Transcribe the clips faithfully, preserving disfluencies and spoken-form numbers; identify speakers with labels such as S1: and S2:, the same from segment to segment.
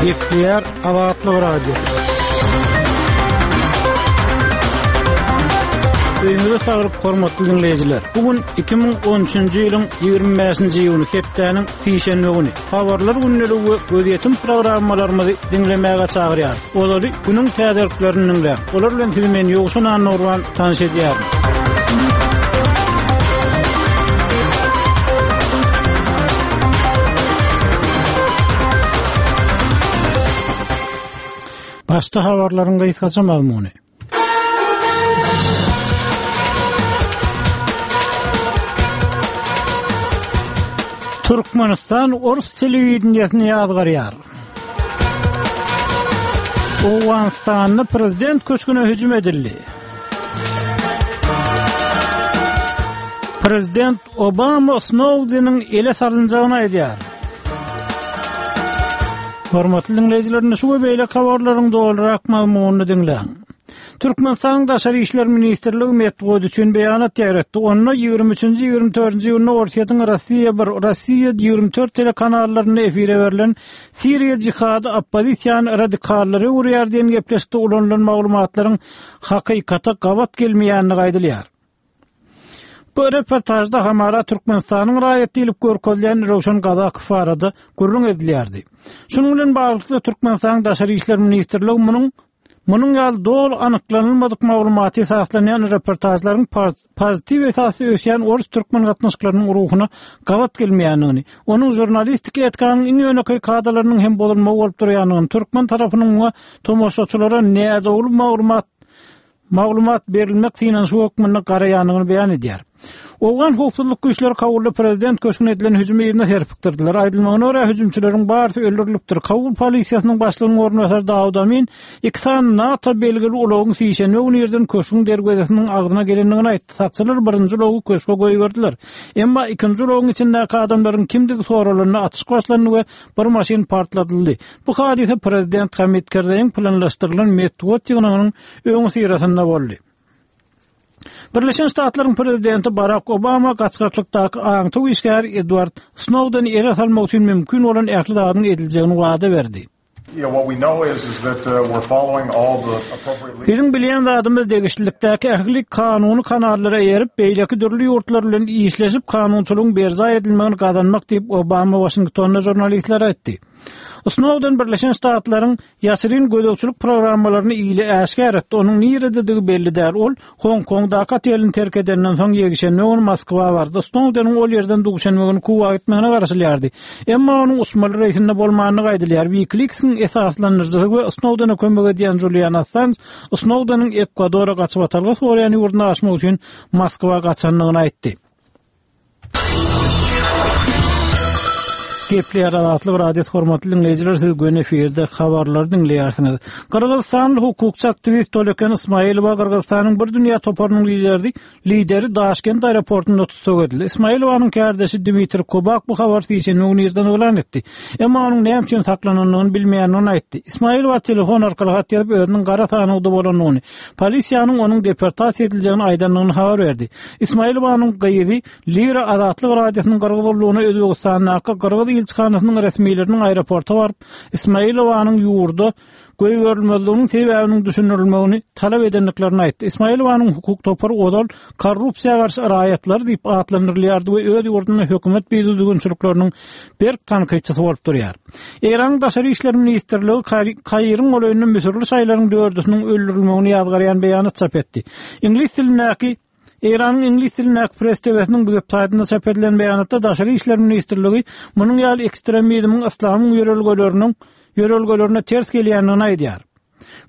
S1: Gepleýär Azatlyk Radiosy. Öýüňize saglyk hormatly diňleýjiler. Bu gün iki müň on üçünji ýylyň ýigrimi bäşinji iýuny hepdäniň sişenbe güni. Habarlar gündeligi we gözýetim programmalarymyzy diňlemäge çagyrýar. Olary günüň täzeliklerini diňläň. Olar bilen sizi men Ýowşan Annurman tanyş edýärin. Başda habarlaryň gysgaça mazmuny. Türkmenistan Ors telewideniýesini ýazgarýar. Owganystanda prezident köşgüne hüjüm edildi. Prezident Obama Snowdeniň ele salynjagyny aýdýar. Hormatly diňleýjiler, indi şu we beýleki habarlaryň dolurak mazmunyny diňläň. Türkmenistanyň Daşary işler ministrligi metbugat üçin beýanat ýaýratdy. Onda ýigrimi üçünji, ýigrimi dördünji iýunda Orsýetiň Rossiýa bir, Rossiýa ýigrimi dört telekanallarynda efire berlen Siriýa jihady oppozisiýany radikallara öwürýär diýen gepleşikde ulanylan maglumatlaryň hakykata gabat gelmeýändigi aýdylýar. Bu reportajda hamara Türkmenistanyň raýat diýlip görkezilen Röwşen Gazakow barada gürrüň edilýärdi. Şunuň bilen baglylykda Türkmenistanyň Daşary işler ministrligi munuň, munuň ýaly doly anyklanylmadyk maglumaty esaslanýan reportajlaryň pozitiw esasda ösýän ors-türkmen gatnaşyklarynyň ruhuna gabat gelmeýändigini, onuň žurnalistik etikanyň iň ýönekeý kadalarynyň hem bozulmagy bolup durýandygyny, türkmen tarapynyň muňa tomaşaçylara nädogry maglumat, maglumat berilmek synanyşygy hökmünde garaýandygyny beýan edýär. Owgan howpsuzlyk güýçleri Kabulda prezident köşgüne edilen hüjümi yzyna serpikdirdiler. Aýdylmagyna görä hüjümçileriň barysy öldürilipdir. Kabul polisiýasynyň başlygynyň orunbasary Dawud Amin iki sany NATO belgili ulagyň sişenbe güni irden köşgüň derwezesiniň agzyna gelendigini aýtdy. Sakçylar birinji ulagy köşge goýberdiler. Emma ikinji ulagyň içindäki adamlaryň kimdigi soralanda atyşyk başlandy we bir maşyn partladyldy. Bu hadysa prezident Hamid Kerzeýiň planlaşdyrylan metbugat ýygnagynyň öňüsyrasynda boldy. Birleşen Ştatlaryň prezidenti Barack Obama gaçgaklykdaky aňtaw işgäri Edward Snowdeni ele salmak üçin mümkin bolan ähli zadyň ediljegini wada berdi.
S2: You know, what we know is, is that, uh, we're following all the appropriate
S1: Biziň bilýän zadymyz degişlilikdäki ähli kanuny kanallara eýerip, beýleki dürli ýurtlar bilen işleşip kanunçylygyň berjaý edilmegini gazanmak diýip Obama Washingtonda žurnalistlere aýtdy. Snowden Birleşen Ştatlaryň ýaşyryn gözegçilik programmalaryny ile äşgär etdi. Onuň nirededigi belli däl. Ol Hong Kongdaky otelini terk edenden soň ýekşenbe güni Moskwa bardy. Snowdeniň ol ýerden duşenbe güni Kuba gitmegine garaşylýardy. Emma onuň uçmaly reýsinde bolmandygy aýdylýar. WikiLeaks'in esaslandyryjysy we Snowdene kömek edýän Julian Assange Snowdeniň Ekwadora gaçyp atalga soraýan ýurduna aşmak üçin Moskwa gaçandygyny aýtdy. Gepleýär Azatlyk Radiosy hormatly diňleýjiler, siz göni efirde habarlary diňleýärsiňiz. Gyrgyzystanly hukukçy aktiwist Toleken Ismailowa Gyrgyzystanyň bir dünýä toparynyň lideri, lideri Daşkent aeroportunda tussag edildi. Ismailowanyň kärdeşi Dmitri Kobak bu habary sişenbe güni irden yglan etdi. Emma onuň näme üçin saklanandygyny bilmeýändigini aýtdy. Ismailowa telefon arkaly hat ýazyp özüniň gara sanawda bolandygyny, polisiýanyň onuň deportasiýa ediljegini aýdandygyny habar berdi. Ismailowanyň gyzy Lira Azatlyk Radiosynyň Gyrgyz gullugyna Özbegistandaky Gyrgyz ilçihanasynyň resmileriniň aeroporta baryp, Ismailowanyň ýurda goýberilmezliginiň sebäbiniň düşündirilmegini talap edendiklerini aýtdy. Ismailowanyň hukuk topary ozal korrupsiýa garşy raýatlar diýip atlandyrylýardy we öz ýurdunda hökümet bidüzgünçilikleriniň berk tankytçysy bolup durýar. Eýranyň Daşary işler ministrligi Kairiň golaýynda müsürli şaýlaryň dördüsiniň öldürilmegini ýazgarýan beýanat çap etdi. Iňlis dilindäki Eýranyň iňlis dilindäki Press T V-siniň bu web-saýtynda çap edilen beýanatda Daşary işler ministrligi munuň ýaly ekstremizmiň yslamyň ýörelgeleriniň ýörelgelerine ters gelýändigini aýdýar.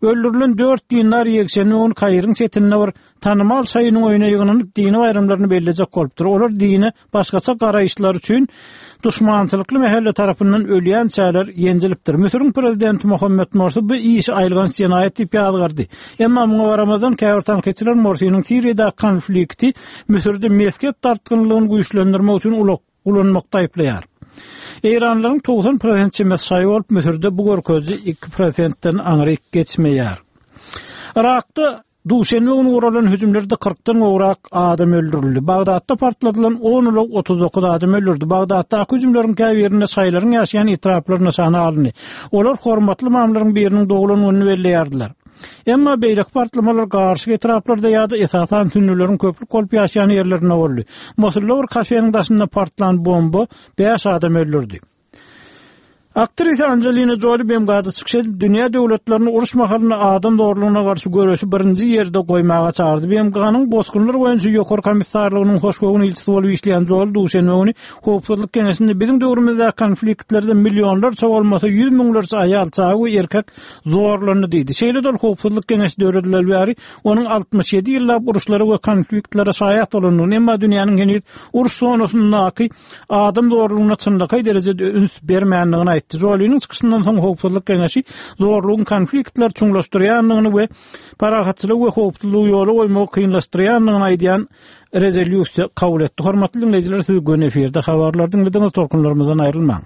S1: Öldürilen dört dindar ýekşenbe güni Kairiň çetinde bir tanymal şaýynyň öýüne ýygnanyp dini baýramlaryny bellejek bolupdyr. Olar dine başgaça garaýyşlar üçin duşmançylykly mähelle tarapyndan ölýän çäler ýenjilipdir. Müsüriň prezidenti Muhammed Morsi bu işi aýylganç jenaýat diýip ýazgardy. Emma muňa garamazdan käbir tankytçylar Morsiniň Siriýada konflikti Müsürde mezhep dartgynlygyny güýçlendirmek üçin ulanmakda aýyplaýar. Eýranlaryň togsan prosent çemesi şaýy bolup Müsürde bu görkeziji iki prosentden aňryk geçmeýär. Irakda Duşenbe güni guralan hüjümlerde kyrkdan gowrak adam öldürildi. Bagdatda partladylan on ulag otuz dokuz adam öldürdi. Bagdatdaky hüjümleriň käbirinde şaýylaryň ýaşaýan etraplary nyşana alyndy. Olar hormatly ymamlaryň biriniň doglan gününi belleýärdiler. Emma beýleki partlamalar garyşyk etraplarda ýa-da esasan sünnüleriň köplük bolup ýaşaýan ýerlerinde boldy. Mosulda bir kafeniň daşynda partlan bomba bäş adam öldürdi. Aktrisa Angelina Jolie B M G-da çykyş edip, dünýä döwletlerini uruş mahalynda adam zorlugyna garşy göreşi birinji ýerde goýmaga çagyrdy. B M G-nyň bosgunlar boýunça ýokary komissarlygynyň hoşgöwün ilçisi bolup işleýän Jolie duşenbe güni Howpsuzlyk Geňeşinde biziň döwrümizde konfliktlerde millionlarça bolmasa ýüz müňlerçe aýal, çaga we erkek zorlandy diýdi. Şeýle-de ol Howpsuzlyk Geňeşi döredileli bäri onuň altmyş ýedi ýyllap uruşlara we konfliktlere şaýat bolandygyny, emma dünýäniň heniz uruş zonasyndaky adam zorlugyna çynlakaý derejede üns bermändigini aýtdy. Joliniň çykyşyndan soň Howpsuzlyk Geňeşi zorlugyň konfliktler çuňlaşdyrýandygyny we parahatçylygy we howpsuzlygy ýola goýmagy kynlaşdyrýandygyny aýdýan rezolýusiýa kabul etdi. Hormatly dinleýjiler, siz göni efirde habarlar diňlediňiz, tolkunlarymyzdan aýrylmaň.